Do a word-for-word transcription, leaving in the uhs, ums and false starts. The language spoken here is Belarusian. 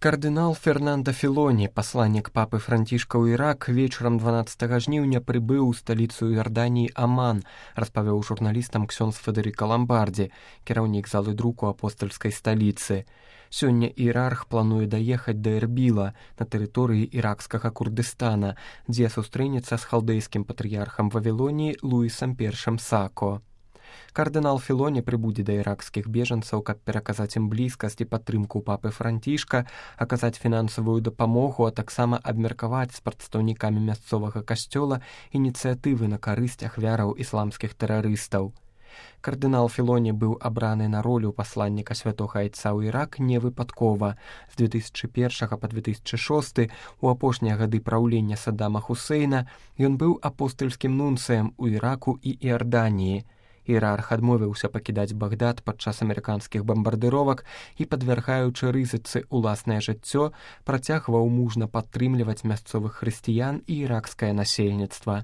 Кардынал Фернандо Філоні, пасланнік папы Францішка ў Ірак, вечарам дванаццатага жніўня прыбыў у сталіцу Іорданіі Аман, распавёў журналістам ксёндз Федэрыка Ламбардзі, кіраўнік залы друку апостальскай сталіцы. Сёння іерарх плануе даехаць да Эрбіла на тэрыторыі іракскага Курдыстана, дзе сустрэнецца з халдэйскім патрыярхам Вавілоніі Луісам першым Сако. Кардынал Філоні прыбудзе да іракскіх бежанцаў, каб пераказаць ім блізкасць і падтрымку папы Францішка, аказаць фінансавую дапамогу, а таксама абмеркаваць з прадстаўнікамі мясцовага касцёла ініцыятывы на карысць ахвяраў ісламскіх тэрарыстаў. Кардынал Філоні быў абраны на ролю пасланніка святога айца ў Ірак не выпадкова. З две тысячы першага па две тысячы шосты у апошнія гады праўлення Саддама Хусейна ён быў апостальскім нунцыем у Іраку і Іорданіі. Іерарх адмовіўся пакідаць Багдад падчас амерыканскіх бамбардыровак і, падвяргаючы рызыцы ўласнае жыццё, працягваў мужна падтрымліваць мясцовых хрысціян і іракскае насельніцтва.